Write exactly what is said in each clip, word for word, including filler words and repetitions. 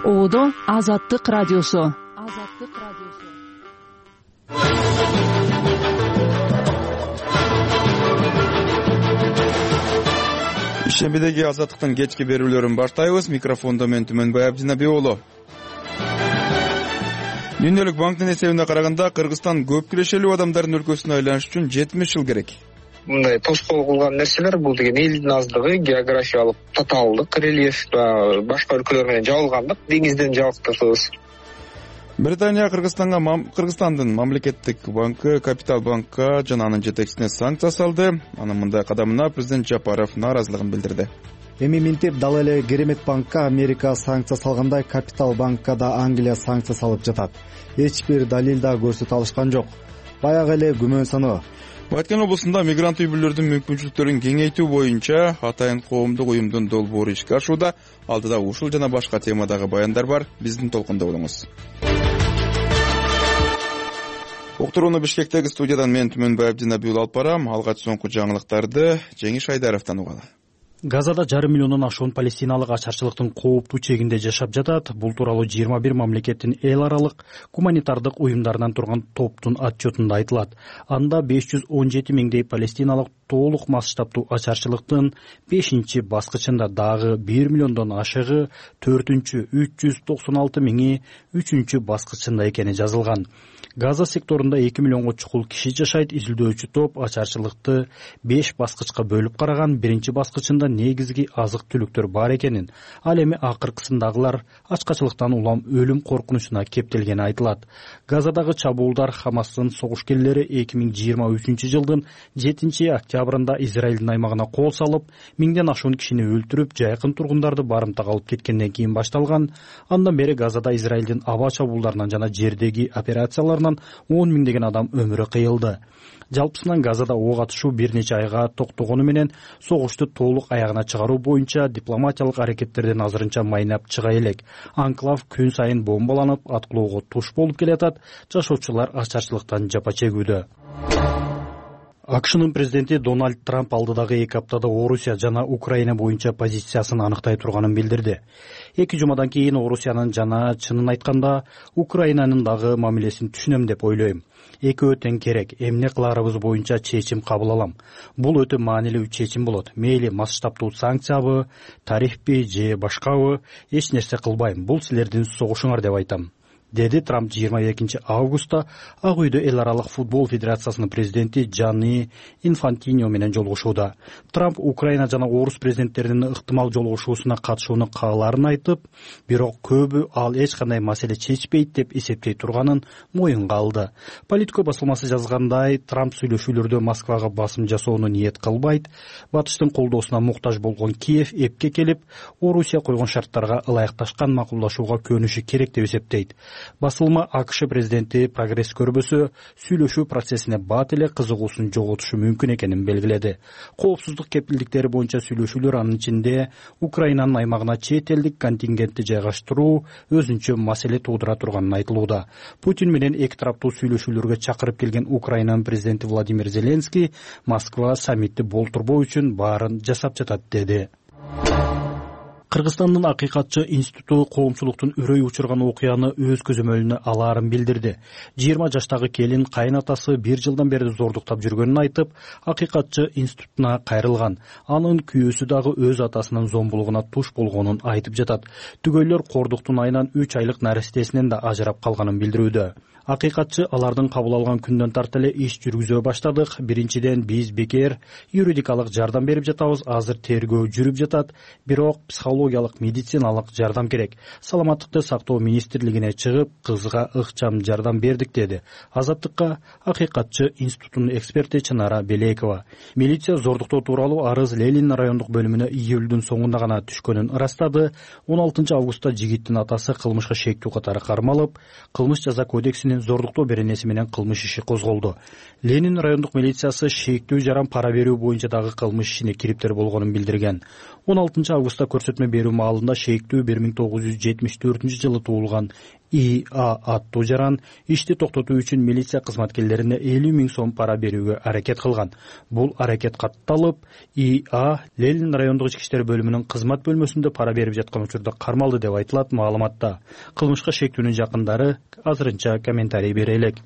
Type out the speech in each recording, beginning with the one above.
Оодо Азаттык радиосу. Азаттык радиосу. Ишембидеги Азаттыктын кечки берүүлөрүн баштайбыз. Микрофондо мен Түмөнбай Абдинабек уулу. Дүйнөлүк банктын эсебине караганда Кыргызстан көп кирешелүү адамдардын өлкөсүнө айланыш үчүн жетимиш жыл керек. Мындай тоскоол кылган нерселер бул деген элдин аздыгы, географиялык татаалдык, рельеф, башка өлкөлөр менен жабылгандык, деңизден жабыктырсыз. Британия Кыргызстанга Кыргызстандын мамлекеттик банкы Капитал банкка жана анын жетекчисине санкция салды. Анын мындай кадамына президент Жапаров нааразылыгын билдирди. Эми минтип дал эле Керемет банкка Америка санкция салгандай, Капитал банкка да Англия санкция салып жатат. Эч бир далил да көрсөтө алышкан жок. Баягы эле күмөн саноо. Баткен облусунда мигрант үй бүлөлөрдүн мүмкүнчүлүктөрүн кеңейтүү боюнча Атайын коомдук уюмдун долбоору ишке ашууда. Алдыда ушул жана башка темадагы баяндар бар. Биздин толкунда болуңуз. Уктурууну Бишкектеги студиядан мен Түмөнбай Абдинабек алып барам. Алгач соңку жаңылыктарды Жеңиш Айдаровдон угалы. Газада жарым миллиондон ашуун палестиналык ачарчылыктын кооптуу чегинде жашап жатат. Бул тууралуу жыйырма бир мамлекеттин эл аралык гуманитардык уюмдарынан турган топтун отчетунда айтылат. Анда беш жүз он жети миңдей палестиналык толук масштабтуу ачарчылыктын бешинчи баскычында, дагы бир миллиондон ашыгы төртүнчү үч жүз токсон алты миңи үчүнчү баскычында экени жазылган. Газа секторунда эки миллионго чукул киши жашайт. Изилдөөчү топ ачарчылыкты беш баскычка бөлүп караган. Биринчи баскычында негизги азык түлүктөр бар экенин, ал эми акыркысындагылар ачкачылыктан улам өлүм коркунучуна кептелгени айтылат. Газадагы чабуулдар Хамастын согушкерлери эки миң жыйырма үчүнчү жылдын жетинчи октябрында Израилдин аймагына кол салып, миңден ашуун кишини өлтүрүп, жайкын тургундарды барымтага алып кеткенден кийин башталган. Андан бери Газада Израилдин аба чабуулдарынан жана жердеги операцияларынан он миңдеген адам өмүрү кыйылды. Жалпысынан Газада ок атышуу бир нече айга токтогону менен согушту толук аягына чыгаруу боюнча дипломатиялык аракеттерден азырынча майнап чыга элек. Анклав күн сайын бомбаланып, аткылоого туш болуп келатат. Жашоочулар ачарчылыктан жапа чегүүдө. АКШнын президенти Дональд Трамп алдыдагы эки аптада Орусия жана Украина боюнча позициясын аныктай турганын билдирди. Эки жумадан кийин Орусиянын жана, чынын айтканда, Украинанын дагы мамилесин түшүнөм деп ойлойм. Экөө тең керек. Эмне кыларыбыз боюнча чечим кабыл алам. Бул өтө маанилүү чечим болот. Мейли масштабтуу санкциябы, тарифпи же башкабы, эч нерсе кылбайм. Бул силердин согушуңар деп айтам, деди Трамп жыйырма экинчи августта Ак үйдө эл аралык футбол федерациясынын президенти Джанни Инфантино менен жолугушууда. Трамп Украина жана Орус президенттеринин ыктымал жолугушуусуна катышууну кааларын айтып, бирок көбү ал эч кандай маселе чечпейт деп эсептей турганын моюнга алды. Политико басылмасы жазгандай, Трамп сүйлөшүүлөрдө Москвага басым жасоону ниет кылбайт. Батыштын колдоосуна муктаж болгон Киев эпке келип, Орусия койгон шарттарга ылайыкташкан макулдашууга көнүшү керек деп эсептейт. Басылма АКШ президенти прогресс көрбөсө, сүйлөшүү процессине бат эле кызыгуусун жоготушу мүмкүн экенин белгиледи. Коопсуздук кепилдиктери боюнча сүйлөшүүлөр, анын ичинде Украинанын аймагына чет элдик контингентти жайгаштыруу өзүнчө маселе туудура турганын айтылууда. Путин менен эки тараптуу сүйлөшүүлөргө чакырып келген Украинанын президенти Владимир Зеленский Москва саммитти болтурбоо үчүн баарын жасап жатат деди. Кыргызстандын Акыйкатчы институту коомчулуктун үрөй учурган окуяны өз көзөмөлүнө алаарын билдирди. жыйырма жаштагы келин кайнатасы бир жылдан бери зордуктап жүргөнүн айтып, Акыйкатчы институтуна кайрылган. Анын күйөөсү дагы өз атасынын зомбулугуна туш болгонун айтып жатат. Түгөйлөр кордуктун айынан үч айлык нарестесинен да ажырап калганын билдирүүдө. Акыйкатчы алардын кабыл алган күндөн тарта эле иш жүргүзө баштадык. Биринчиден биз бекер юридикалык жардам берип жатабыз. Азыр тергөө жүрүп жатат, бирок психологиялык, медициналык жардам керек. Саламаттыкты сактоо министрлигине чыгып, кызга ыкчам жардам бердик, деди Азаттыкка Акыйкатчы институтунун эксперти Чынара Белекова. Милиция зордуктоо тууралуу арыз Ленин райондук бөлүмүнө июлдун соңунда гана түшкөнүн ырастады. он алтынчы августта жигиттин атасы кылмышка шектүү катары кармалып, кылмыш жаза кодексинин зордуктоо беренеси менен кылмыш иши козголду. Ленин райондук милициясы шектүү жаран пара берүү боюнча дагы кылмыш ишине кириптер болгонун билдирген. он алтынчы августта көрсөтмө берүү маалында шектүү бир миң тогуз жүз жетимиш төртүнчү жылы туулган и а аттуу жаран ишти токтотуу үчүн милиция кызматкерлерине элүү миң сом пара берүүгө аракет кылган. Бул аракет катталып, и а Ленин райондук ички иштер бөлүмүнүн кызмат бөлмөсүндө пара берип жаткан учурда кармалды деп айтылат маалыматта. Кылмышка шектүүнүн жакындары азырынча комментарий бере элек.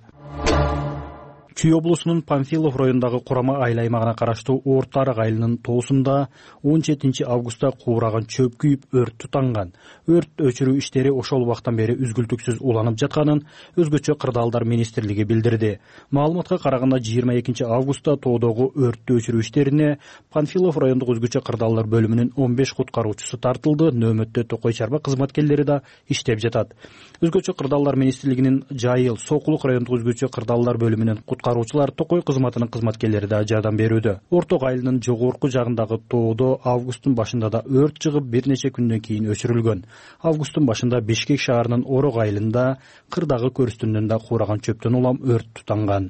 Чүй облусунун Панфилов районундагы Курама айыл аймагына караштуу Орто Арак айылынын тоосунда он жетинчи августта куураган чөп күйүп өрт тутанган. Өрт өчүрүү иштери ошол убактан бери үзгүлтүксүз уланып жатканын өзгөчө кырдаалдар министрлиги билдирди. Маалыматка караганда жыйырма экинчи августта тоодогу өрттү өчүрүү иштерине Панфилов райондук өзгөчө кырдаалдар бөлүмүнүн он беш куткаруучусу тартылды. Нөөмөттө Токой чарба кызматкерлери да иштеп жатат. Өзгөчө кырдаалдар министрлигинин Жайыл, Сокулук райондук өзгөчө кырдаалдар бөлүмүнүн куткаруучулар, Токой кызматынын кызматкерлери да жардам берүүдө. Орток айылынын жогорку жагындагы тоодо августтун башында да өрт чыгып, бир нече күндөн кийин өчүрүлгөн. Августтун башында Бишкек шаарынын Орок айылында кырдагы көрүстүнөн да куураган чөптөн улам өрт тутанган.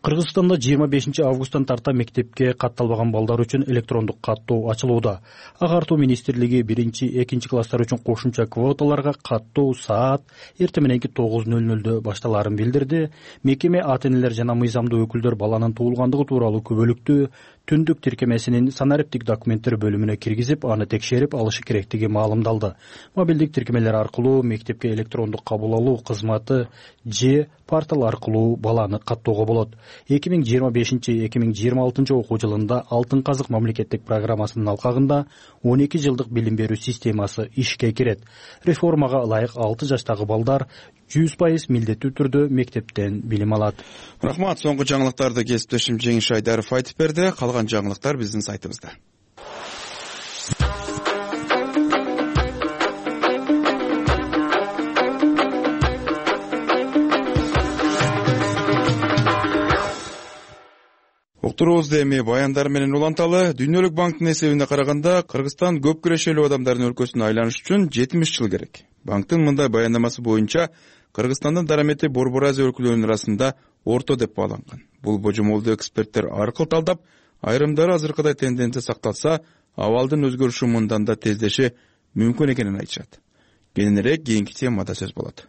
Кыргызстанда жыйырма бешинчи августтан тарта мектепке катталбаган балдар үчүн электрондук каттоо ачылууда. Агартуу министрлиги биринчи, экинчи класстар үчүн кошумча квоталарга каттоо саат эртең мененки тогуз нөл нөлдө башталаарын билдирди. Мекеме ата-энелер жана мыйзамдуу өкүлдөр баланын туулгандыгы тууралуу күбөлүктү түндүк тиркемесинин санариптик документтер бөлүмүнө киргизип, аны текшерип алышы керектиги маалымдалды. Мобилдик тиркемелер аркылуу мектепке электрондук кабыл алуу кызматы же портал аркылуу баланы каттоого болот. эки миң жыйырма бешинчи эки миң жыйырма алтынчы окуу жылында Алтын казык мамлекеттик программасынын алкагында он эки жылдык билим берүү системасы ишке кирет. Реформага ылайык алты жаштагы балдар жүз пайыз милдеттүү түрдө мектептен билим алат. Рахмат. Соңку жаңылыктарды кесиптешим Жеңиш Айдаров айтып берди. Калган жаңылыктар биздин сайтыбызда. Уктуруубузду эми баяндар менен уланталы. Дүйнөлүк банктын эсебине караганда, Кыргызстан көп күрөшөлүү адамдардын өлкөсүнө айланыш үчүн жетимиш жыл керек. Банктын мындай баяндамасы боюнча Кыргызстандын дарамети Борбор Азия өлкөлөрүнүн арасында орто деп бааланган. Бул божомолду эксперттер аркыл талдап, айрымдары азыркыдай тенденция сакталса, абалдын өзгөрүшү мындан да тездеши мүмкүн экенин айтышат. Кененирээк кийинки темада сөз болот.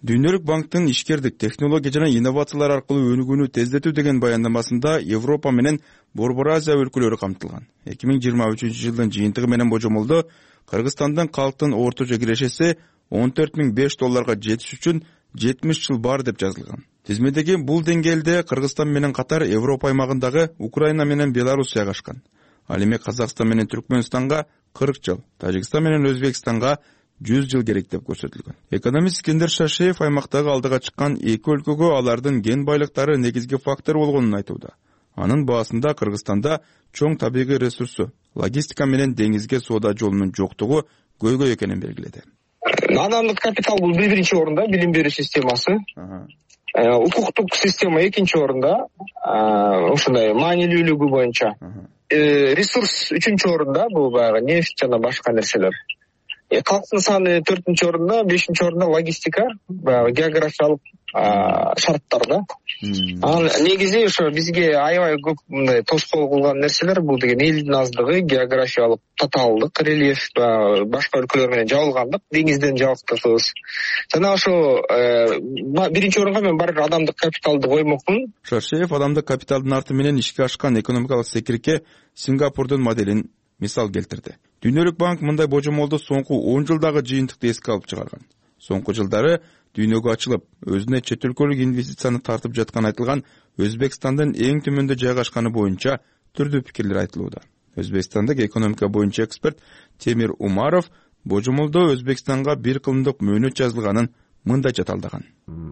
Дүйнөлүк банктын ишкердик, технология жана инновациялар аркылуу өнүгүүнү тездетүү деген баяндамасында Европа менен Борбор Азия өлкөлөрү камтылган. эки миң жыйырма үчүнчү жылдын жыйынтыгы менен божомолдо Кыргызстандын калктын орточо кирешеси он төрт миң беш долларга жетиш үчүн жетимиш жыл бар деп жазылган. Тизмедеги бул деңгээлде Кыргызстан менен катар Европа аймагындагы Украина менен Белоруссия кашкан. Ал эми Казакстан менен Түркмөнстанга кырк жыл, Тажикстан менен Өзбекстанга жүз жыл керек деп көрсөтүлгөн. Экономист Искендер Шашеев аймактагы алдыга чыккан эки өлкөгө алардын кен байлыктары негизги фактор болгонун айтууда. Анын баасында Кыргызстанда чоң табигый ресурсу, логистика менен деңизге соода жолунун жоктугу көйгөй экенин белгиледи. Адамдык капитал бул биринчи орунда, билим берүү системасы. Укуктук система экинчи орунда, ушундай маанилүүлүгү боюнча. Ресурс үчүнчү орунда, бул баягы нефть жана башка нерселер. Калктын саны төртүнчү орунда, бешинчи орунда логистика, баягы географиялык шарттар да. Анан негизи ошо бизге аябай көп мындай тоскоол кылган нерселер бул деген элдин аздыгы, географиялык татаалдык, рельеф, башка өлкөлөр менен жабылгандык, деңизден жабыкташыбыз. Жана ошо биринчи орунга мен бар адамдык капиталды коймокмун. Шаршеев адамдык капиталдын арты менен ишке ашкан экономикалык секирке Сингапурдун моделин мисал келтирди. Дүйнөлүк банк мындай божомолду соңку он жылдагы жыйынтыкты эске алып чыгарган. Соңку жылдары дүйнөгө ачылып, өзүнө чет өлкөлүк инвестицияны тартып жаткан айтылган Өзбекстандын эң төмөндө жайгашканы боюнча түрдүү пикирлер айтылууда. Өзбекстандык экономика боюнча эксперт Темир Умаров божомолдо Өзбекстанга бир кылымдык мөөнөт жазылганын мындайча талдаган.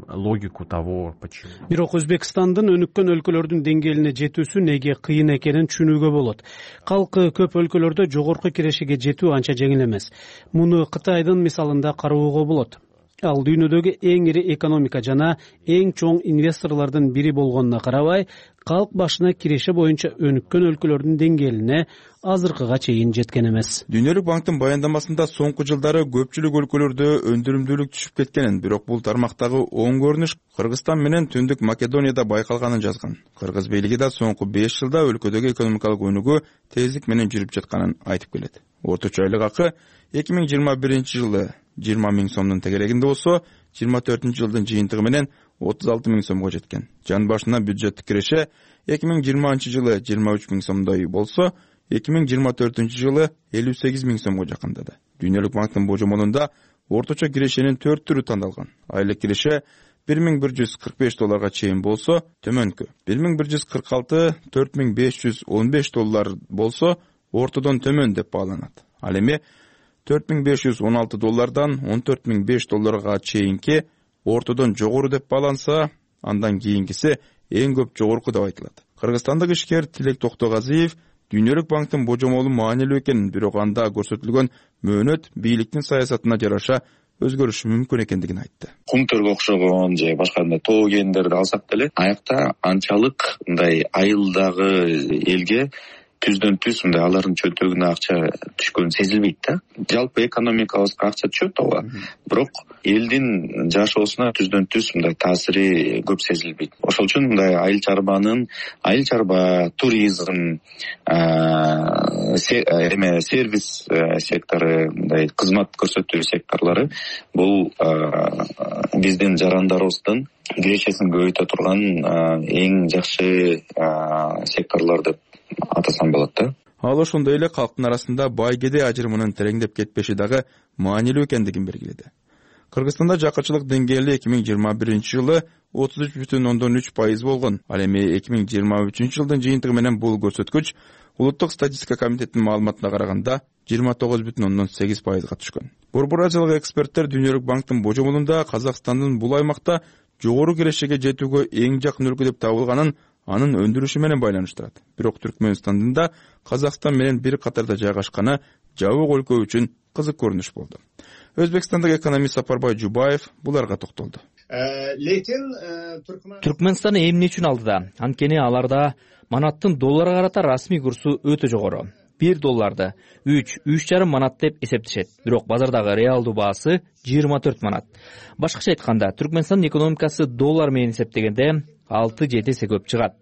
Логику того, почему. Бирок Өзбекстандын өнүккөн өлкөлөрдүн деңгээлине жетүүсү неге кыйын экенин түшүнүүгө болот. Калкы көп өлкөлөрдө жогорку кирешеге жетүү анча жеңил эмес. Муну Кытайдын мисалында кароого болот. Ал дүйнөдөгү эң ири экономика жана эң чоң инвесторлордун бири болгонуна карабай, калк башына киреше боюнча өнүккөн өлкөлөрдүн деңгээлине азыркыга чейин жеткен эмес. Дүйнөлүк банктын баяндамасында соңку жылдары көпчүлүк өлкөлөрдө өндүрүмдүүлүк түшүп кеткенин, бирок бул тармактагы оң көрүнүш Кыргызстан менен Түндүк Македонияда байкалганын жазган. Кыргыз бийлиги да соңку беш жылда өлкөдөгү экономикалык өнүгүү тездик менен жүрүп жатканын айтып келет. Орточо айлык акы эки миң жыйырма биринчи жылы жыйырма миң сомдун тегерегинде болсо, жыйырма төртүнчү жылдын жыйынтыгы менен отуз алты миң сомго жеткен. Жан башына бюджеттик киреше эки миң жыйырманчы жылы жыйырма үч миң сомдой болсо, эки миң жыйырма төртүнчү жылы элүү сегиз миң сомго жакындады. Дүйнөлүк банктын божомолунда орточо кирешенин төрт түрү тандалган. Айлык киреше бир миң бир жүз кырк беш долларга чейин болсо, төмөнкү бир миң бир жүз кырк алты төрт миң беш жүз он беш доллар болсо, ортодон төмөн деп бааланат. Ал эми төрт миң беш жүз он алты доллардан он төрт миң беш долларга чейинки ортодон жогору деп бааланса, андан кийинкиси эң көп жогорку деп айтылат. Кыргызстандык ишкер Тилек Токтогазиев Дүйнөлүк банктын божомолу маанилүү экенин, бирок анда көрсөтүлгөн мөөнөт бийликтин саясатына жараша өзгөрүшү мүмкүн экендигин айтты. Кумтөргө окшогон же башка мындай тоо кендерди алсак деле, аякта анчалык мындай айылдагы элге түздөн түз мындай алардын чөнтөгүнө акча түшкөнү сезилбейт да. Жалпы экономикабызга акча түшөт ооба, бирок элдин жашоосуна түздөн түз мындай таасири көп сезилбейт. Ошол үчүн мындай айыл чарбанын, айыл чарба, туризм, эме сервис сектору, мындай кызмат көрсөтүү секторлору бул биздин жарандарыбыздын кирешесин көбөйтө турган эң жакшы секторлор деп атасам болот да. Ал ошондой эле калктын арасында бай кедей ажырымынын тереңдеп кетпеши дагы маанилүү экендигин белгиледи. Кыргызстанда жакачылык деңгээли эки миң жыйырма биринчи жылы отуз үч бүтүн ондон үч пайыз болгон. Ал эми эки миң жыйырма үчүнчү жылдын жыйынтыгы менен бул көрсөткүч Улуттук статистика комитетинин маалыматына караганда жыйырма тогуз бүтүн ондон сегиз пайызга түшкөн. Борбор Азиялык эксперттер Дүйнөлүк банктын божомолунда Казакстандын бул аймакта жогору кирешеге жетүүгө эң жакын өлкө деп табылганын анын өндүрүшү менен байланыштырат. Бирок Түркмөнстандын да Казакстан менен бир катарда жайгашканы жабык өлкө үчүн кызык көрүнүш болду. Өзбекстандык экономист Сапарбай Жубаев буларга токтолду. Түркмөнстан эмне үчүн алдыда? Анткени аларда манаттын долларга карата расмий курсу өтө жогору. бир долларды үч үч жарым манат деп эсептешет. Бирок базардагы реалдуу баасы жыйырма төрт манат. Башкача айтканда, Түркмөнстандын экономикасы доллар менен эсептегенде алты жети эсе көп чыгат.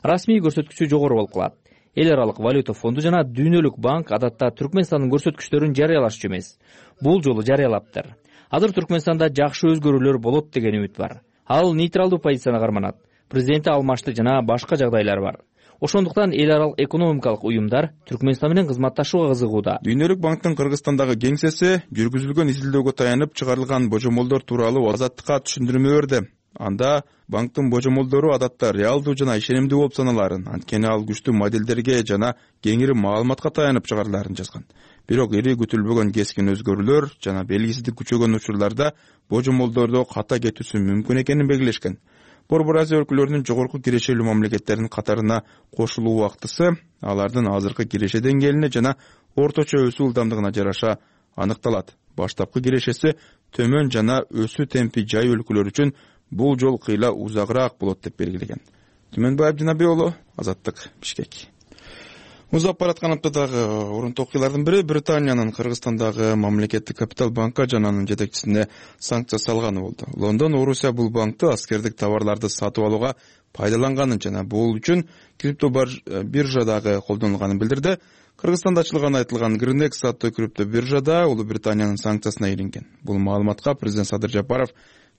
Расмий көрсөткүчү жогору болуп калат. Эл аралык валюта фонду жана Дүйнөлүк банк адатта Түркмөнстандын көрсөткүчтөрүн жарыялашчу эмес. Бул жолу жарыялаптыр. Азыр Түркмөнстанда жакшы өзгөрүүлөр болот деген үмүт бар. Ал нейтралдуу позицияны карманат. Президенти алмашты жана башка жагдайлар бар. Ошондуктан эл аралык экономикалык уюмдар Түркмөнстан менен кызматташууга кызыгууда. Дүйнөлүк банктын Кыргызстандагы кеңсеси жүргүзүлгөн изилдөөгө таянып чыгарылган божомолдор тууралуу Азаттыкка түшүндүрмө берди. Анда банктын божомолдору адатта реалдуу жана ишенимдүү болуп саналарын, анткени ал күчтүү моделдерге жана кеңири маалыматка таянып чыгарыларын жазган. Бирок ири күтүлбөгөн кескин өзгөрүүлөр жана белгисиздик күчөгөн учурларда божомолдордо ката кетүүсү мүмкүн экенин белгилешкен. Борбор Азия өлкөлөрүнүн жогорку кирешелүү мамлекеттеринин катарына кошулуу убактысы алардын азыркы киреше деңгээлине жана орточо өсүү ылдамдыгына жараша аныкталат. Баштапкы кирешеси төмөн жана өсүү темпи жай өлкөлөр үчүн бул жол кыйла узагыраак болот деп белгилеген. Түмөнбаев Жанабек уулу, Азаттык, Бишкек. Узап бараткан аптадагы орунтуу окуялардын бири Британиянын Кыргызстандагы мамлекеттик капитал банка жана анын жетекчисине санкция салганы болду. Лондон Орусия бул банкты аскердик товарларды сатып алууга пайдаланганын жана бул үчүн крипто биржадагы колдонулганын билдирди. Кыргызстанда ачылган айтылган Гринекс аттуу крипто биржада Улуу Британиянын санкциясына илинген. Бул маалыматка президент Садыр Жапаров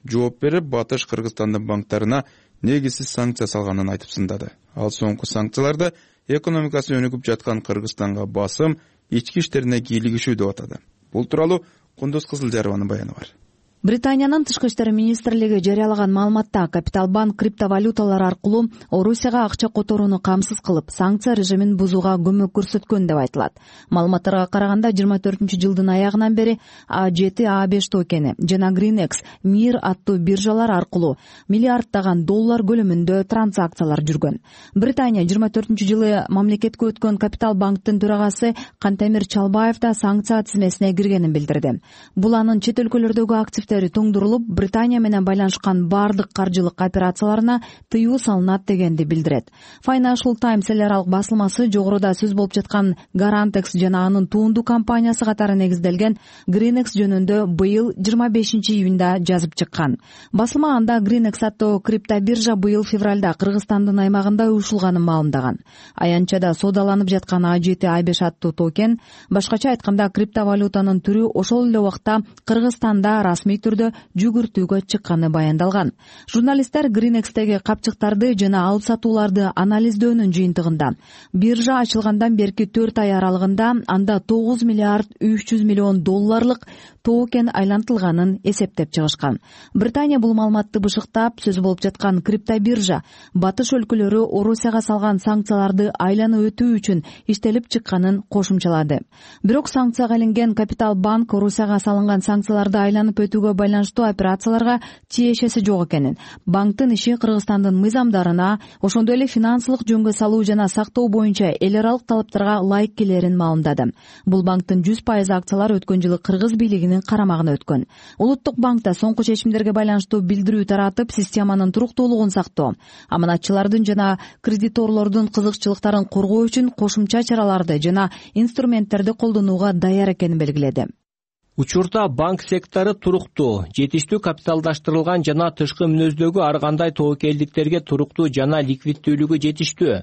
жооп берип, Батыш Кыргызстандын банктарына негизсиз санкция салганын айтып сындады. Ал соңку санкцияларды экономикасы өнүгүп жаткан Кыргызстанга басым, ички иштерине кийлигишүү деп атады. Бул тууралуу Кундуз Кызылжарованын баяны бар. Британиянын тышкы иштер министрлиги жарыялаган маалыматта Капиталбанк криптовалюталар аркылуу Орусияга акча которууну камсыз кылып, санкция режимин бузууга көмөк көрсөткөн деп айтылат. Маалыматтарга караганда жыйырма төртүнчү жылдын аягынан бери А жети А беш токени жана Гринекс Мир аттуу биржалар аркылуу миллиарддаган доллар көлөмүндө транзакциялар жүргөн. Британия жыйырма төртүнчү жылы мамлекетке өткөн Капиталбанктын төрагасы Кантемир Чалбаев да санкция тизмесине киргенин билдирди. Бул анын чет өлкөлөрдөгү активдери күчтери тоңдурулуп, Британия менен байланышкан баардык каржылык операцияларына тыюу салынат дегенди билдирет. Financial Times эл аралык басылмасы жогоруда сөз болуп жаткан Garantex жана анын туунду компаниясы катары негизделген Greenex жөнүндө быйыл жыйырма бешинчи июнда жазып чыккан. Басылма анда Greenex аттуу криптобиржа быйыл февралда Кыргызстандын аймагында уюшулганын маалымдаган. Аянтчада соодаланып жаткан А жети А беш аттуу токен, башкача айтканда криптовалютанын түрү ошол эле убакта Кыргызстанда расмий түрдө жүгүртүүгө чыкканы баяндалган. Журналисттер Greenexтеги капчыктарды жана алып сатууларды анализдөөнүн жыйынтыгында биржа ачылгандан берки төрт ай аралыгында анда тогуз миллиард үч жүз миллион долларлык токен айлантылганын эсептеп чыгышкан. Британия бул маалыматты бышыктап, сөз болуп жаткан криптобиржа батыш өлкөлөрү Орусияга салган санкцияларды айланып өтүү үчүн иштелип чыкканын кошумчалады. Бирок санкцияга илинген Капитал банк Орусияга салынган санкцияларды айланып өтүүгө байланыштуу операцияларга тиешеси жок экенин, банктын иши Кыргызстандын мыйзамдарына, ошондой эле финансылык жөнгө салуу жана сактоо боюнча эл аралык талаптарга ылайык келерин маалымдады. Бул банктын жүз пайыз акциялары өткөн жылы Кыргыз бийлигинин карамагына өткөн. Улуттук банкта соңку чечимдерге байланыштуу билдирүү таратып, системанын туруктуулугун сактоо, аманатчылардын жана кредиторлордун кызыкчылыктарын коргоо үчүн кошумча чараларды жана инструменттерди колдонууга даяр экенин белгиледи. Учурда банк сектору туруктуу, жетиштүү капиталдаштырылган жана тышкы мүнөздөгү ар кандай тобокелдиктерге туруктуу жана ликвиддүүлүгү жетиштүү.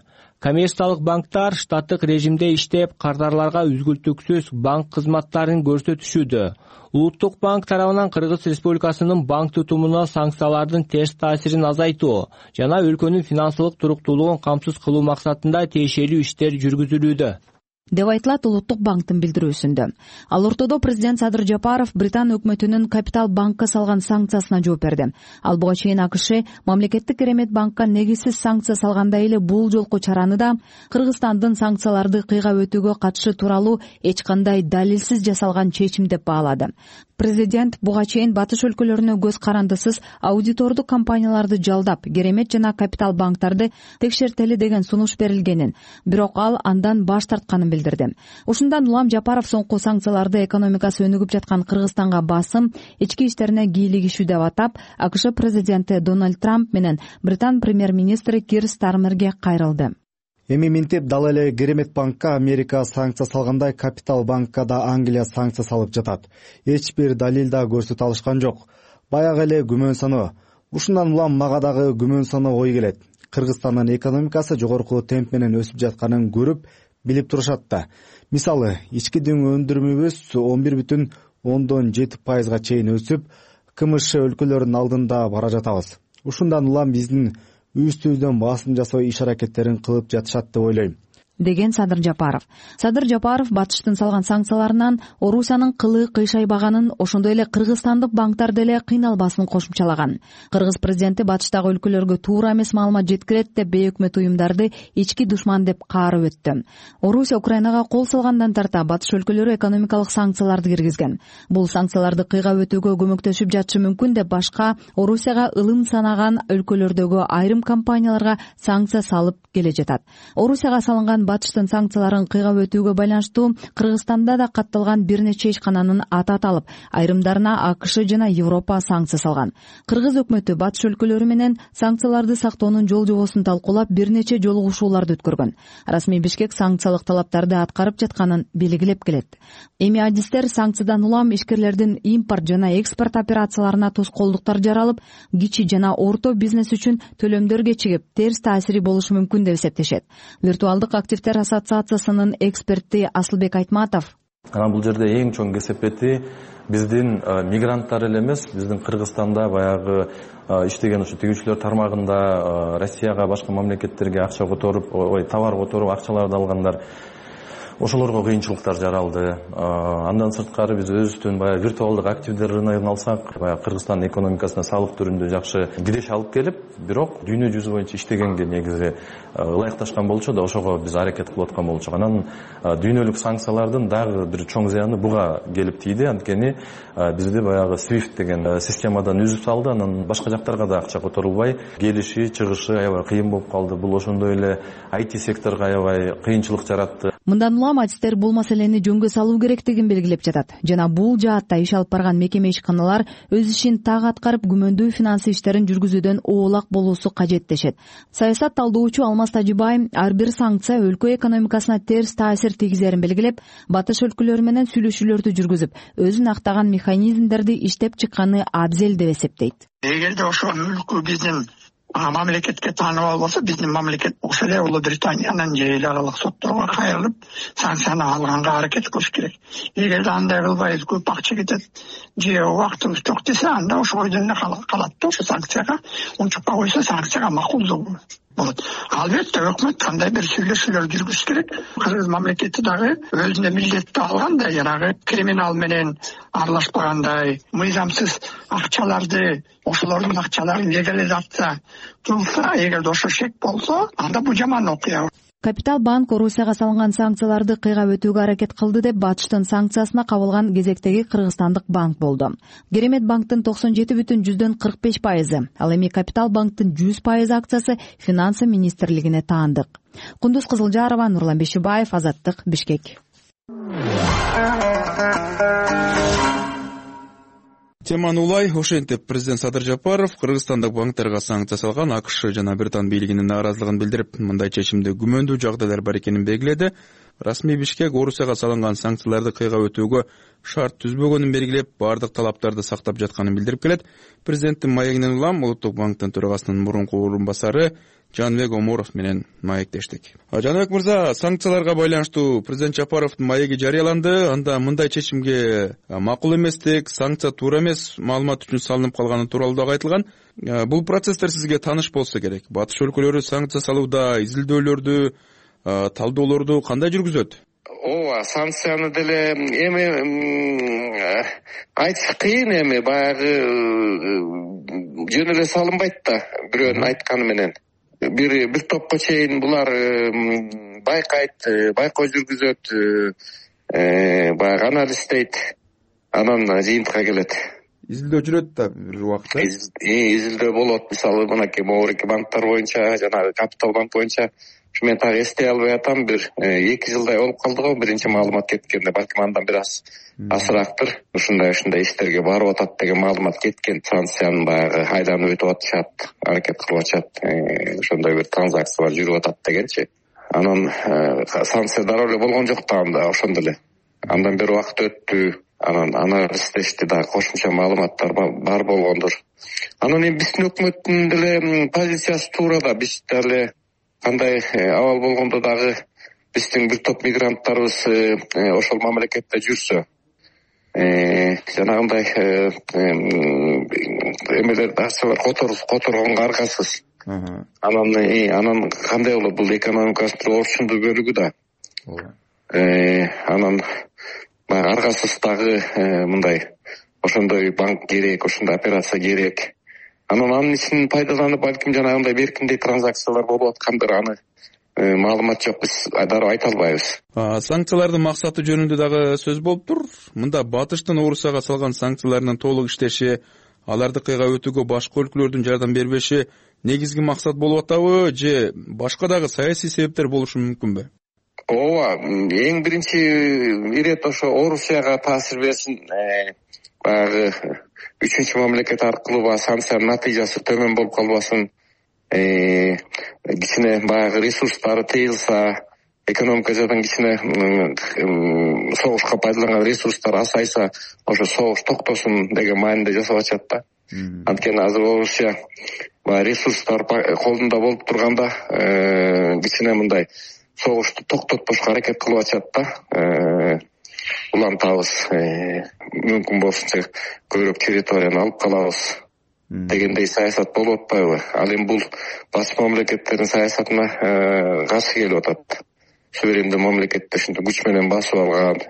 Коммерциялык банктар штаттык режимде иштеп, кардарларга үзгүлтүксүз банк кызматтарын көрсөтүшүүдө. Улуттук банк тарабынан Кыргыз Республикасынын банк тутумуна санкциялардын терс таасирин азайтуу жана өлкөнүн финансылык туруктуулугун камсыз кылуу максатында тиешелүү иштер жүргүзүлүүдө, деп айтылат Улуттук банктын билдирүүсүндө. Ал ортодо президент Садыр Жапаров Британ өкмөтүнүн Капитал банкка салган санкциясына жооп берди. Ал буга чейин АКШ мамлекеттик керемет банкка негизсиз санкция салгандай эле бул жолку чараны да Кыргызстандын санкцияларды кыйгап өтүүгө катышы тууралуу эч кандай далилсиз жасалган чечим деп баалады. Президент буга чейин батыш өлкөлөрүнө көз карандысыз аудитордук компанияларды жалдап, керемет жана Капитал банктарды текшертели деген сунуш берилгенин, бирок ал андан баш тартканын билдирди. Ушундан улам Жапаров соңку санкцияларды экономикасы өнүгүп жаткан Кыргызстанга басым, ички иштерине кийлигишүү деп атап, АКШ президенти Дональд Трамп менен Британ премьер-министри Кир Стармерге кайрылды. Эми минтип дал эле Керемет банкка Америка санкция салгандай, Капитал банкка да Англия санкция салып жатат. Эч бир далил да көрсөтө алышкан жок. Баягы эле күмөн саноо. Ушундан улам мага дагы күмөн саноо ой келет. Кыргызстандын экономикасы жогорку темп менен өсүп жатканын көрүп, билип турушат да. Мисалы, ички дүң өндүрүмүбүз он бир бүтүн ондон жети пайызга чейин өсүп, КМШ өлкөлөрүнүн алдында бара жатабыз. Ушундан улам биздин үстүбүздөн басым жасоо иш аракеттерин кылып жатышат деп ойлойм, деген Садыр Жапаров. Садыр Жапаров батыштын салган санкцияларынан Орусиянын кылы кыйшайбаганын, ошондой эле кыргызстандык банктар деле кыйналбасын кошумчалаган. Кыргыз президенти батыштагы өлкөлөргө туура эмес маалымат жеткирет деп бейөкмөт уюмдарды ички душман деп каарып өттү. Орусия Украинага кол салгандан тарта батыш өлкөлөрү экономикалык санкцияларды киргизген. Бул санкцияларды кыйгап өтүүгө көмөктөшүп жатышы мүмкүн деп башка Орусияга ылым санаган өлкөлөрдөгү айрым компанияларга санкция салып келе жатат. Орусияга салынган батыштын санкцияларын кыйгап өтүүгө байланыштуу Кыргызстанда да катталган бир нече ишкананын аты аталып, айрымдарына АКШ жана Европа санкция салган. Кыргыз өкмөтү батыш өлкөлөрү менен санкцияларды сактоонун жол жобосун талкуулап, бир нече жолугушууларды өткөргөн. Расмий Бишкек санкциялык талаптарды аткарып жатканын белгилеп келет. Эми адистер санкциядан улам ишкерлердин импорт жана экспорт операцияларына тоскоолдуктар жаралып, кичи жана орто бизнес үчүн төлөмдөр кечигип, терс таасири болушу мүмкүн деп эсептешет. Виртуалдык активдер ассоциациясынын эксперти Асылбек Айтматов: анан бул жерде эң чоң кесепети биздин мигранттар эле эмес, биздин Кыргызстанда баягы иштеген ушу тигүүчүлөр тармагында Россияга, башка мамлекеттерге акча которуп, ой, товар которуп, акчаларды алгандар, ошолорго кыйынчылыктар жаралды. Андан сырткары биз өзүбүздүн баягы виртуалдык активдер рыногун алсак, баягы Кыргызстандын экономикасына салык түрүндө жакшы киреш алып келип, бирок дүйнө жүзү боюнча иштегенге негизи ылайыкташкан болчу да, ошого биз аракет кылып аткан болчук. Анан дүйнөлүк санкциялардын дагы бир чоң зыяны буга келип тийди. Анткени бизди баягы свифт деген системадан үзүп салды. Анан башка жактарга да акча которулбай, келиши, чыгышы аябай кыйын болуп калды. Бул ошондой эле ай ти секторго аябай кыйынчылык жаратты. Мындан улам адистер бул маселени жөнгө салуу керектигин белгилеп жатат жана бул жаатта иш алып барган мекеме ишканалар өз ишин так аткарып күмөндүү финансы иштерин жүргүзүүдөн оолак болуусу кажет дешет. Саясат талдоочу Алмаз Тажибай ар бир санкция өлкө экономикасына терс таасир тийгизерин белгилеп, батыш өлкөлөрү менен сүйлөшүүлөрдү жүргүзүп, өзүн актаган механизмдерди иштеп чыкканы абзел деп эсептейт. Эгерде ошол өлкө биздин мамлекетке тааныбал болсо, биздин мамлекет ошол эле Улуу Британиянын же эл аралык сотторго кайрылып санкцияны алганга аракет кылыш керек. Эгерде андай кылбай көп акча кетет же убактыбыз жок десе, анда ошо бойдон эле калат да, ошо санкцияга унчукпа койсо санкцияга макулдуу болот. Албетте өкмөт кандай бир сүйлөшүүлөр жүргүзүш керек. Кыргыз мамлекети дагы өзүнө милдетти алгандай, жанагы криминал менен аралашпагандай, мыйзамсыз акчаларды, ошолордун акчаларын легализация кылса, эгерде ошо шек болсо, анда бул жаман окуя. Капитал банк Орусияга салынган санкцияларды кыйгап өтүүгө аракет кылды деп батыштын санкциясына кабылган кезектеги кыргызстандык банк болду. Керемет банктын токсон жети бүтүн жүздөн кырк беш пайызы, ал эми Капитал банктын жүз пайыз акциясы финансы министрлигине таандык. Кундуз Кызылжарова, Нурлан Бешибаев, Азаттык, Бишкек. Теманы улай. Ошентип президент Садыр Жапаров кыргызстандык банктерге санкция салган АКШ жана Британ бийлигинин нааразылыгын билдирип, мындай чечимде күмөндүү жагдайлар бар экенин белгиледи. Расмий Бишкек Орусияга салынган санкцияларды кыйгап өтүүгө шарт түзбөгөнүн белгилеп, бардык талаптарды сактап жатканын билдирип келет. Президенттин маегинен улам Улуттук банктын төрагасынын мурунку орун басары Жанбек Оморов менен маектештик. Жанбек мырза, санкцияларга байланыштуу президент Жапаровдун маеги жарыяланды. Анда мындай чечимге макул эместик, санкция туура эмес маалымат үчүн салынып калганы тууралуу дагы айтылган. Бул процесстер сизге тааныш болсо керек. Батыш өлкөлөрү санкция салууда изилдөөлөрдү, талдоолорду кандай жүргүзөт? Ооба, санкцияны деле эми айтыш кыйын, эми баягы жөн эле салынбайт да, бирөөнүн айтканы менен. Бир бир топко чейин булар байкайт, байкоо жүргүзөт, баягы анализдейт, анан жыйынтыкка келет. Изилдөө жүрөт да бир убакытта. Изилдөө болот. Мисалы, мынакей могуреки банктар боюнча, жанагы Капитал банк боюнча, мен так эстей албай атам, бир эки жылдай болуп калды го биринчи маалымат кеткенде, балким андан бир аз азыраактыр. Ушундай ушундай иштерге барып атат деген маалымат кеткен. Санкциянын баягы айланып өтүп атышат, аракет кылып атышат, ошондой бир транзакциялар жүрүп атат дегенчи. Анан санкция дароо эле болгон жок да, анда ошондо эле. Андан бир убакыт өттү, анан анализдешти да, кошумча маалыматтар бар болгондур. Анан эми биздин өкмөттүн деле позициясы туура да, биз деле кандай абал болгондо дагы биздин бир топ мигранттарыбыз ошол мамлекетте жүрсө, жанагындай эмелер акчалар которгонго аргасыз. Анан анан кандай болот, бул экономикасынын бир орчундуу бөлүгү да. Анан баягы аргасыз дагы мындай ошондой банк керек, ошондой операция керек. Анан анын ичинен пайдаланып, балким жанагындай беркиндей транзакциялар болуп аткандыр, аны маалымат жок, биз дароо айта албайбыз. Санкциялардын максаты жөнүндө дагы сөз болуптур. Мында батыштын Орусияга салган санкцияларынын толук иштеши, аларды кыйгап өтүүгө башка өлкөлөрдүн жардам бербеши негизги максат болуп атабы, же башка дагы саясий себептер болушу мүмкүнбү? Ооба, эң биринчи ирет ошо Орусияга таасир берсин, баягы үчүнчү мамлекет аркылуу баягы санкциянын натыйжасы төмөн болуп калбасын, кичине баягы ресурстары тыйылса, экономика жадан кичине согушка пайдаланган ресурстар азайса, ошо согуш токтосун деген маанинде жасап атышат да. Анткени азыр Орусия баягы ресурстар колунда болуп турганда кичине мындай согушту токтотпошко аракет кылып атышат да. Улантабыз, мүмкүн болсунча көбүрөөк территорияны алып калабыз дегендей саясат болуп атпайбы? Ал эми бул башка мамлекеттердин саясатына каршы келип атат. Суверендүү мамлекетти ушинтип күч менен басып алган,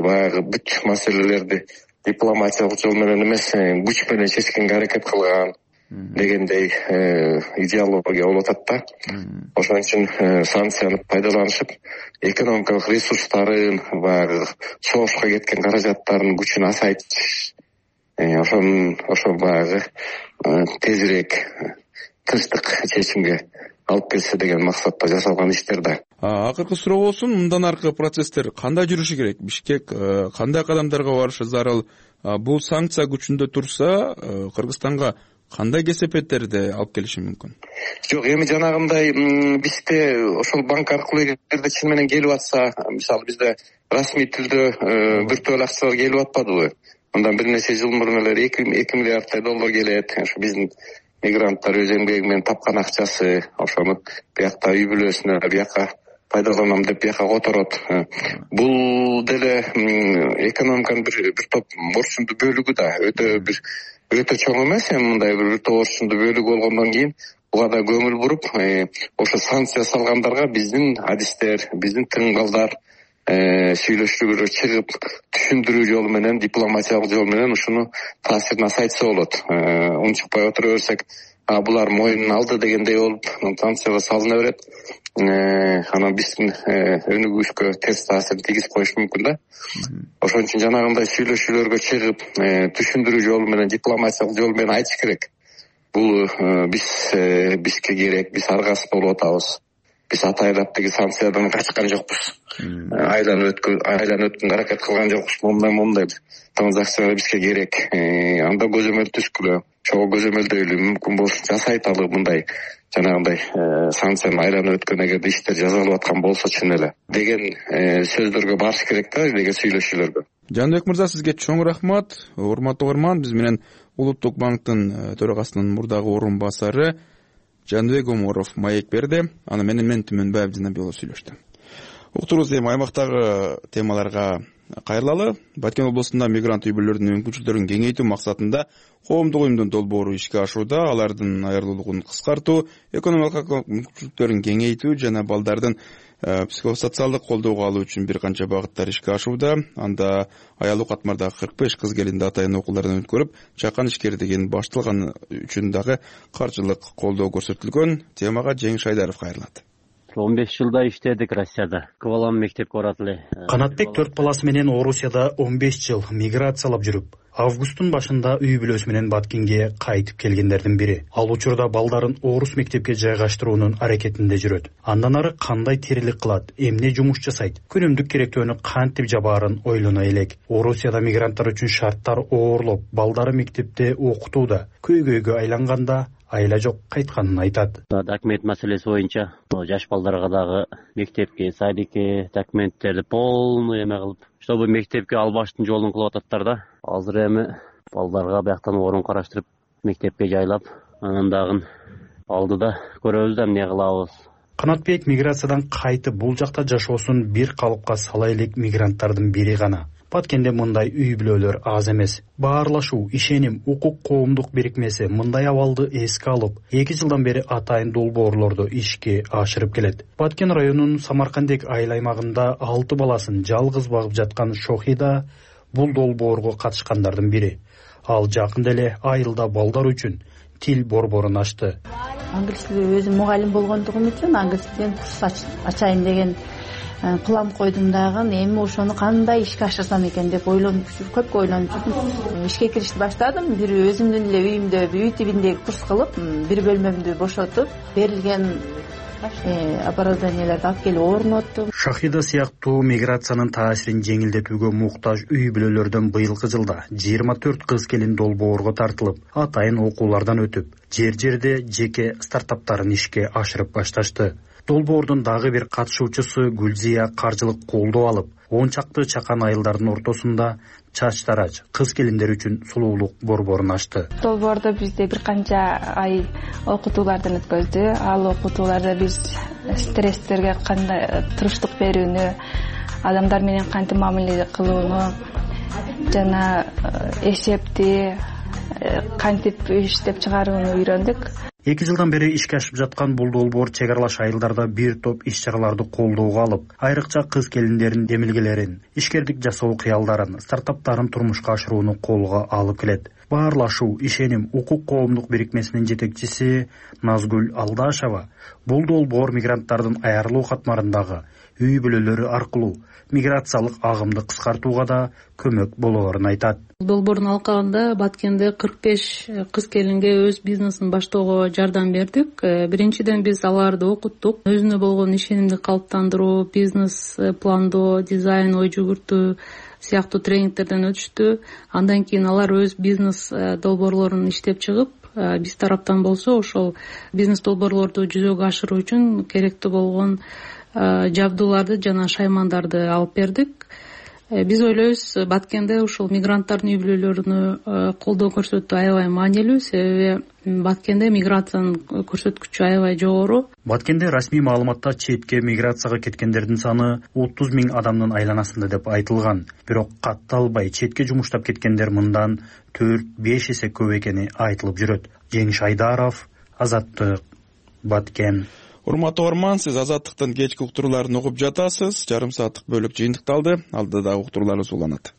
баягы бүт маселелерди дипломатиялык жол менен эмес, күч менен чечкенге аракет кылган дегендей идеология болуп атат да. Ошон үчүн санкцияны пайдаланышып, экономикалык ресурстарын, баягы согушка кеткен каражаттардын күчүн азайтыш, ошон ошо баягы тезирээк тынчтык чечимге алып келсе деген максатта жасалган иштер да. Акыркы суроо болсун, мындан аркы процесстер кандай жүрүшү керек? Бишкек кандай кадамдарга барышы зарыл? Бул санкция күчүндө турса, Кыргызстанга кандай кесепеттерди алып келиши мүмкүн? Жок, эми жанагындай бизде ошол банк аркылуу эгерде чын менен келип атса, мисалы бизде расмий түрдө биртөөл акчалар келип атпадыбы? Андан бир нече жыл мурун эле эки миллиарддай доллар келет. Ошо биздин мигранттар өз эмгеги менен тапкан акчасы, ошону биякта үй бүлөсүнө, биякка пайдаланам деп бияка которот. Бул деле экономиканын бир бир топ орчундуу бөлүгү да, өтө бир өтө чоң эмес, эми мындай бир топ орчундуу бөлүгү болгондон кийин буга да көңүл буруп, ошо санкция салгандарга биздин адистер, биздин тыңгалдар сүйлөшүүгө чыгып, түшүндүрүү жолу менен, дипломатиялык жол менен ушуну таасирин азайтса болот. Унчукпай отура берсек, булар моюнун алды дегендей болуп, санкцияга салына берет. Анан биздин өнүгүшкө терс таасирин тийгизип коюшу мүмкүн да. Ошон үчүн жанагындай сүйлөшүүлөргө чыгып, түшүндүрүү жолу менен, дипломатиялык жол менен айтыш керек. Бул биз бизге керек, биз аргасыз болуп атабыз. Биз атайлап тиги санкциядан качкан жокпуз. Айланып өткөн, айланып өткөнгө аракет кылган жокпуз. Мондай мондай транзакциялар бизге керек. Анда көзөмөл түзгүлө, чогуу көзөмөлдөйлү, мүмкүн болсо жасайталы мындай жанагындай санкцияны айланып өткөн эгерде иштер жасалып аткан болсо чын эле деген сөздөргө барыш керек да, деген сүйлөшүүлөргө. Жаныбек мырза, сизге чоң рахмат. Урматтуу угарман, биз менен Улуттук банктын төрагасынын мурдагы орун басары Жаныбек Оморов маек берди. Аны менен мен Түмөнбаев Жанабеков сүйлөштүм. Уктуруубуз эми аймактагы темаларга кайрылалы. Баткен облусунда мигрант үй бүлөлөрдүн мүмкүнчүлүктөрүн кеңейтүү максатында коомдук уюмдун долбоору ишке ашууда. Алардын айырылуулугун кыскартуу, экономикалык мүмкүнчүлүктөрүн кеңейтүү жана балдардын психосоциалдык колдоого алуу үчүн бир канча багыттар ишке ашууда. Анда аялуу катмардагы кырк беш кыз келинди атайын окуулардан өткөрүп, чакан ишкердигин башталган үчүн дагы каржылык колдоо көрсөтүлгөн. Темага Жеңиш Айдаров кайрылат. он беш жылда иштедик Россияда. Балам мектепке барат эле. Канатбек төрт баласы менен Орусияда он беш жыл миграциялап жүрүп, августтун башында үй бүлөсү менен Баткенге кайтып келгендердин бири. Ал учурда балдарын орус мектепке жайгаштыруунун аракетинде жүрөт. Андан ары кандай тирилик кылат, эмне жумуш жасайт, күнүмдүк керектөөнү кантип жабаарын ойлоно элек. Орусияда мигранттар үчүн шарттар оорлоп, балдары мектепте окутууда. Көйгөйгө айланганда айла жок кайтканын айтат. Документ маселеси боюнча жаш балдарга дагы мектепке, садикке документтерди полный эме кылып, чтобы мектепке албаштын жолун кылып ататтар да. Азыр эми балдарга бияктан орун караштырып, мектепке жайлап, анан дагы алдыда көрөбүз да эмне кылабыз. Канатбек миграциядан кайтып бул жакта жашоосун бир калыпка сала элек мигранттардын бири гана. Баткенде мындай үй бүлөлөр аз эмес. Баарлашуу, ишеним, укук коомдук бирикмеси мындай абалды эске алып, эки жылдан бери атайын долбоорлорду ишке ашырып келет. Баткен районунун Самаркандек айыл аймагында алты баласын жалгыз багып жаткан Шохида бул долбоорго катышкандардын бири. Ал жакында эле айылда балдар үчүн тил борборун ачты. Англис тили өзүм мугалим болгондугум үчүн англис тилин курс ачайын деген план койдум дагы. Эми ошону кандай ишке ашырсам экен деп ойлонуп жүрүп, көп ойлонуп жүрдүм. Ишке киришти баштадым. Бир өзүмдүн эле үйүмдө үй тибиндеги курс кылып, бир бөлмөмдү бошотуп, берилген оборудованияларды алып келип орноттум. Шахида сыяктуу миграциянын таасирин жеңилдетүүгө муктаж үй бүлөлөрдөн быйылкы жылда жыйырма төрт кыз келин долбоорго тартылып, атайын окуулардан өтүп, жер-жерде жеке стартаптарын ишке ашырып башташты. Долбоордун дагы бир катышуучусу Гүлзия каржылык колдоо алып, он чакты чакан айылдардын ортосунда чач тарач кыз келиндер үчүн сулуулук борборун ачты. Долбоордо бизде бир канча ай окутуулардан өткөздү. Ал окутууларда биз стресстерге кандай туруштук берүүнү, адамдар менен кантип мамиле кылууну жана эсепти кантип иштеп чыгарууну үйрөндүк. Эки жылдан бери ишке ашып жаткан бул долбоор чек аралаш айылдарда бир топ иш-чараларды колдоого алып, айрыкча кыз келиндердин демилгелерин, ишкердик жасоо кыялдарын, стартаптарын турмушка ашырууну колго алып келет. Баарлашуу, ишеним, укук коомдук бирикмесинин жетекчиси Назгүл Алдашева бул долбоор мигранттардын айырылуу катмарындагы үй бүлөлөрү аркылуу миграциялык агымды кыскартууга да көмөк болоорун айтат. Долбоордун алкагында Баткенде кырк беш кыз келинге өз бизнесин баштоого жардам бердик. Биринчиден биз аларды окуттук. Өзүнө болгон ишенимди калыптандыруу, бизнес пландоо, дизайн, ой жүгүртүү сыяктуу тренингтерден өтүштү. Андан кийин алар өз бизнес долбоорлорун иштеп чыгып, биз тараптан болсо ошол бизнес долбоорлорду жүзөгө ашыруу үчүн керектүү болгон жабдууларды жана шаймандарды алып бердик. Биз ойлойбуз, Баткенде ушул мигранттардын үй бүлөлөрүнө колдоо көрсөтүү аябай маанилүү, себеби Баткенде миграциянын көрсөткүчү аябай жогору. Баткенде расмий маалыматта четке миграцияга кеткендердин саны отуз миң адамдын айланасында деп айтылган. Бирок катталбай четке жумуштап кеткендер мындан төрт беш эсе көп экени айтылып жүрөт. Жеңиш Айдаров, Азаттык, Баткен. Урматтуу угарман, сиз Азаттыктын кечки уктурууларын угуп жатасыз. Жарым сааттык бөлүк жыйынтыкталды. Алдыда уктурууларыбыз уланат.